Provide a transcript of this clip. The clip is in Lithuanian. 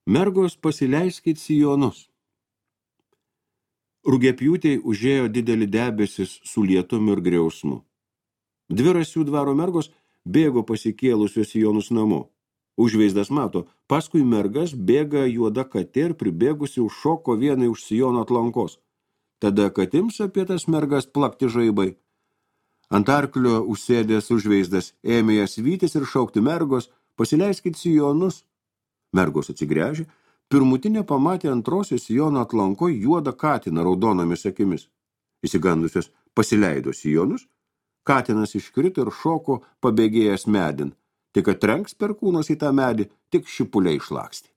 Mergos, pasileiskit sijonus. Rugiapjūtei užėjo didelį debesis su lietumu ir griausmu. Dvi Rasių dvaro mergos bėgo pasikėlusios sijonus namo. Užveizdas mato, paskui mergas bėga juoda katė ir pribėgusi užšoko vienai už sijono atlankos. Tada katims apie tas mergas plakti žaibai. Ant arklio užsėdęs užveizdas ėmė jas vytis ir šaukti: mergos, pasileiskit sijonus. Mergos atsigręžė, pirmutinė pamatė antrosios sijono atlanko juodą katiną raudonomis akimis. Įsigandusios pasileido sijonus, katinas iškrito ir šoko pabėgėjęs medin, tik atrenks perkūnas į tą medį, tik šipuliai išlakstė.